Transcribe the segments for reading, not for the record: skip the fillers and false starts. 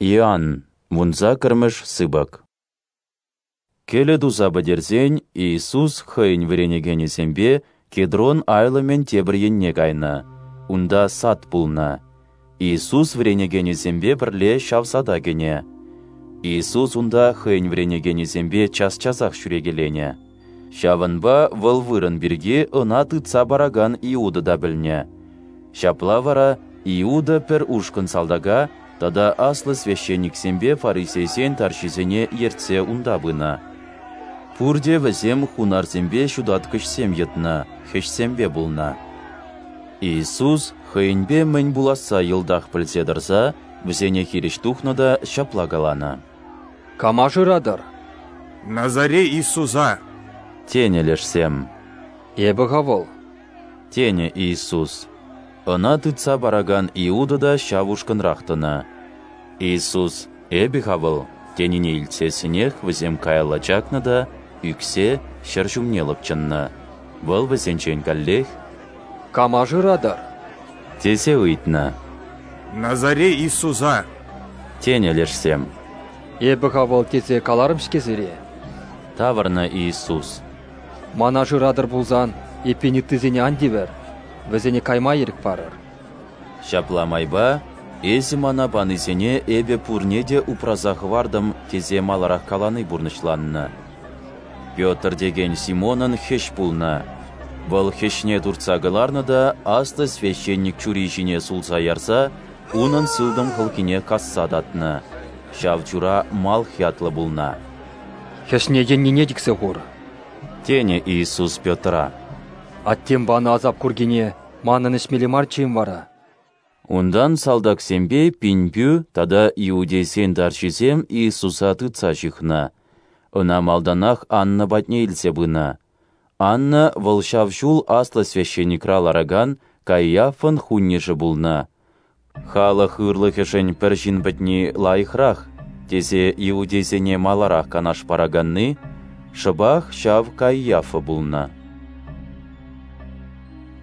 Иоанн, вунсаккӑрмӗш сыпӑк. Кӗлӗ туса пӗтерсен Иисус хӑйӗн вӗренекенӗсемпе Кедрон айлӑмӗн тепӗр енне кайнӑ. Унта сад пулнӑ. Иисус вӗренекенӗсемпе пӗрле ҫав сада кӗнӗ. Иисус унта хӑйӗн вӗренекенӗсемпе час-часах ҫӳрекеленӗ. Ҫавӑнпа вӑл вырӑн пирки ӑна тытса паракан Иуда та пӗлнӗ. Ҫапла вара Иуда пӗр ушкӑн салтака тата аслӑ священниксемпе фарисейсен тарҫисене ертсе унта пынӑ. Пурте вӗсем хунарсемпе ҫутаткӑҫсем йӑтнӑ, хӗҫсемпе пулнӑ. Иисус хӑйӗнпе мӗн пуласса йӑлтах пӗлсе тӑрса вӗсене хирӗҫ тухнӑ та ҫапла каланӑ: «Кама шыратӑр?» «Назарей Иисуса», тенӗ лешсем. «Эпӗ-ха вӑл», тенӗ Иисус. Ӑна тытса паракан Иуда та ҫав ушкӑнрах тӑнӑ. Иисус «Эпӗ-ха вӑл» тенине илтсессӗнех вӗсем каялла чакнӑ та ӳксе ҫӗр ҫумне лӑпчӑннӑ. Вӑл вӗсенчен каллех «Кама шыратӑр?» тесе ыйтнӑ. «Назарей Иисуса», тенӗ лешсем. «Эпӗ-ха вӑл тесе каларӑм-ҫке сире», тавӑрнӑ Иисус. «Мана шыратӑр пулсан, эппин ыттисене ан тивӗр, вӗсене кайма ирӗк парӑр». Ҫапла майпа «Эсӗ мана панисене эпӗ пурне те упраса хӑвартӑм» тесе маларах калани пурнӑҫланнӑ. Петр текен Симонӑн хӗҫ пулнӑ. Вӑл хӗҫне туртса кӑларнӑ та аслӑ священник чури ҫине сулса ярса унӑн сылтӑм хӑлхине касса татнӑ. Ҫав чура Малх ятлӑ пулнӑ. «Хӗҫне йӗннине чиксе хур», тенӗ Иисус Петра. «Аттем панӑ асап куркине манӑн ӗҫмелле марччӗ-им вара?» Унтан салтаксемпе пинпӳ тата иудейсен тарҫисем Иисуса тытса ҫыхнӑ. Ӑна малтанах Анна патне илсе пынӑ. Анна вӑл ҫав ҫул аслӑ священникра ларакан Каиафӑн хуннӗшӗ пулнӑ. Халӑх ырлӑхӗшӗн пӗр ҫын пӗтни лайӑхрах, тесе иудейсене маларах канаш параканни шӑпах ҫав Каиафа пулнӑ.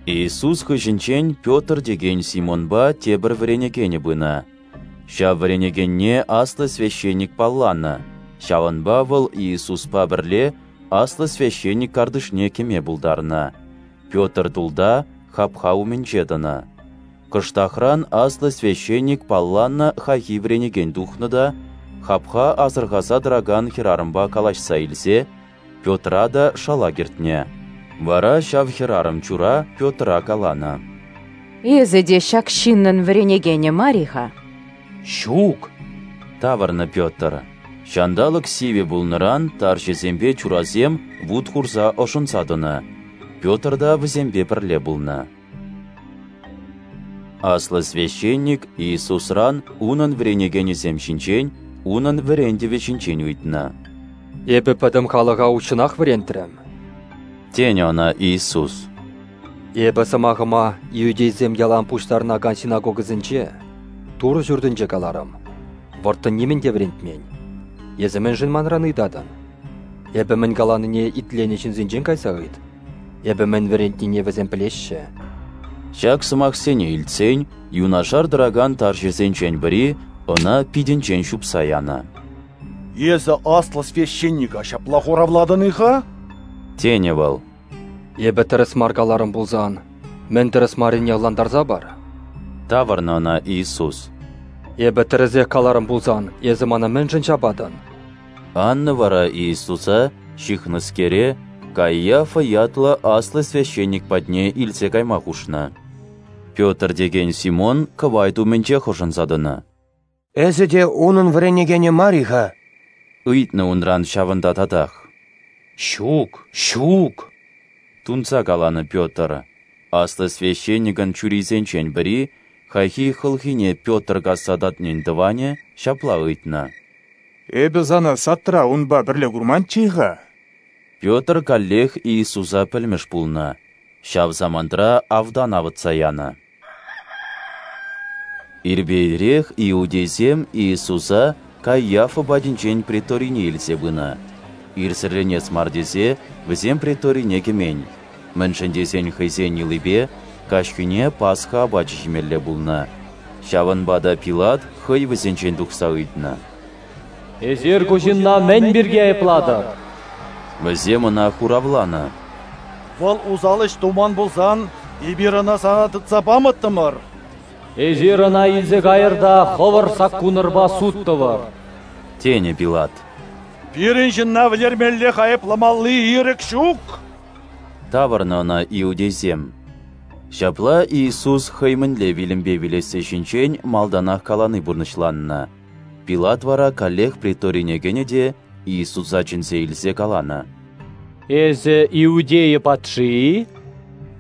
Иисус хыҫӗнчен Петр текен Симонпа тепӗр вӗренекенӗ пынӑ. Ҫав вӗренекенне аслӑ священник палланӑ, ҫавӑнпа вӑл Иисуспа пӗрле аслӑ священник картишне кӗме пултарнӑ. Петр тулта, хапха умӗнче тӑнӑ. Кӑштахран аслӑ священник палланӑ хайхи вӗренекен тухнӑ та хапха асӑрхаса тӑракан хӗрарӑмпа калаҫса илсе Петра та шала кӗртнӗ. Вара ҫав хӗрарӑм чура Петра каланӑ: «Эсӗ те ҫак ҫыннӑн вӗренекенӗ мар-и-ха?» «Ҫук», тавӑрнӑ Петр. Ҫанталӑк сивӗ пулнӑран тарҫӑсемпе чурасем вут хурса ӑшӑнса тӑнӑ. Петр та вӗсемпе пӗрле пулнӑ. Аслӑ священник Иисусран унӑн вӗренекенӗсем ҫинчен, унӑн вӗрентӗвӗ ҫинчен ыйтнӑ. «Эпӗ пӗтӗм халӑха уҫҫӑнах вӗрентрӗм», тенӗ ӑна Иисус. «Эпӗ сӑмахӑма иудейсем ялан пуҫтарӑнакан синагогӑсенче, Турӑ ҫуртӗнче каларӑм, вӑрттӑн нимӗн те вӗрентмен. Эсӗ мӗншӗн манран ыйтатӑн? Эпӗ мӗн каланине итленӗ ҫынсенчен кайса ыйт. Эпӗ мӗн вӗрентнине вӗсем пӗлеҫҫӗ». Ҫак сӑмахсене илтсен юнашар тӑракан тарҫӑсенчен пӗри ӑна питӗнчен ҫупса янӑ. «Эсӗ аслӑ священника ҫапла хуравлатӑн-и-ха?» тенӗ вӑл. «Эпӗ тӗрӗс мар каларӑм пулсан, мӗн тӗрӗс маррине ӑнлантарса пар», тавӑрнӑ ӑна Иисус. «Эпӗ тӗрӗсех каларӑм пулсан, эсӗ мана мӗншӗн ҫапатӑн?» Анна вара Иисуса, ҫыхнӑскере, Каиафа ятлӑ аслӑ священник патне илсе кайма хушнӑ. Петр текен Симон кӑвайт умӗнчех ӑшӑнса тӑнӑ. «Эсӗ те унӑн вӗренекенӗ мар-и-ха?» ыйтнӑ унран ҫавӑнта татах. «Ҫук, ҫук», тунса каланӑ Петр. Аслӑ священникӑн чурисенчен пӗри, хайхи хӑлхине Петр касса татнин тӑванӗ, ҫапла ыйтнӑ: «Эпӗ сана садра унпа пӗрле курманччӗ-и-ха?» Петр каллех Иисуса пӗлмӗш пулнӑ. Ҫав самантра автан авӑтса янӑ. Ирпе ирех иудейсем Иисуса Каиафа патӗнчен преторине илсе пынӑ. Ирсӗрленес мар тесе вӗсем преторине кӗмен, мӗншӗн тесен хӑйсен йӑлипе каҫхине Пасха апачӗ ҫимелле пулнӑ. Ҫавӑнпа та Пилат хӑй вӗсенчен тухса ыйтнӑ: «Эсир ку ҫынна мӗн пирки айӑплатӑр?» Вӗсем ӑна хуравланӑ: «Вӑл усал ӗҫ туман пулсан, эпир ӑна сана тытса памӑттӑмӑр». «Эсир ӑна илсе кайӑр та хӑвӑр саккунӑрпа суд тӑвӑр», тенӗ Пилат. «Пирӗн ҫынна вӗлермеллех айӑпламалли ирӗк ҫук», тавӑрнӑ ӑна иудейсем. Ҫапла Иисус хӑй мӗнле вилӗмпе вилесси ҫинчен малтанах калани пурнӑҫланнӑ. Пилат вара каллех преторине кӗнӗ те Иисуса чӗнсе илсе каланӑ: «Эсӗ Иудея патши-и?»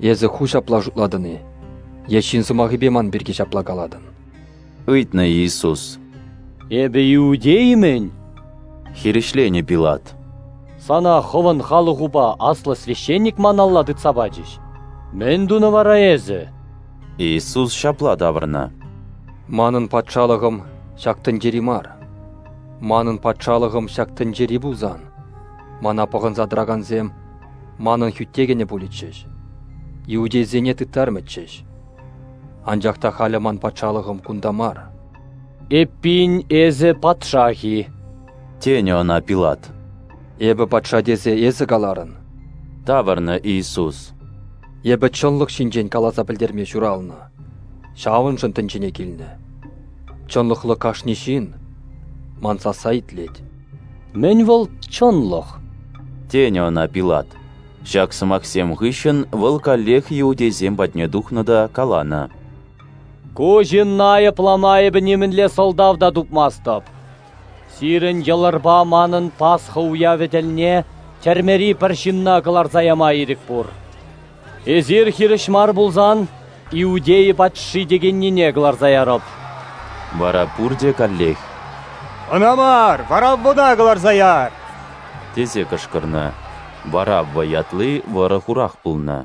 «Эсӗ ху ҫапла шутлатӑн-и? Е ҫын сӑмахӗпе ман пирки ҫапла калатӑн?» ыйтнӑ Иисус. «Эпӗ иудей-мӗн?» хирӗҫленӗ Пилат. «Сана хӑвӑн халӑхупа аслӑ священник ман алла тытса пачӗҫ. Мӗн тунӑ вара эсӗ?» Иисус ҫапла тавӑрнӑ: «Манӑн патшалӑхӑм ҫак тӗнчери мар. Манӑн патшалӑхӑм ҫак тӗнчери пулсан, мана пӑхӑнса тӑракансем манӑн хӳтте кӗнӗ пулӗччӗҫ, иудейсене тыттармӗччӗҫ. Анчах та халӗ ман патшалӑхӑм кунта мар». «Эппин, эсӗ патшах-и?» тенӗ ӑна Пилат. «Эпӗ патша тесе эсӗ каларӑн», тавӑрнӑ Иисус. «Эпӗ чӑнлӑх ҫинчен каласа пӗлтерме ҫуралнӑ, ҫавӑншӑн тӗнчене килнӗ. Чӑнлӑхлӑ кашни ҫын ман сасса итлет». «Мӗн вӑл чӑнлӑх?» тенӗ ӑна Пилат. Ҫак сӑмахсем хыҫҫӑн вӑл каллех иудейсем патне тухнӑ та каланӑ: «Ку ҫынна айӑплама эпӗ нимӗнле сӑлтав та тупмастӑп. Сирӗн йӑлӑрпа манӑн Пасха уявӗ тӗлне тӗрмери пӗр ҫынна кӑларса яма ирӗк пур. Эсир хирӗҫ мар пулсан, Иудея патши текеннине кӑларса ярӑп». Вара пурте каллех: «Ӑна мар, Вараввӑна кӑларса яр!» тесе кӑшкӑрнӑ. Варавва ятли вӑрӑ-хурах пулнӑ.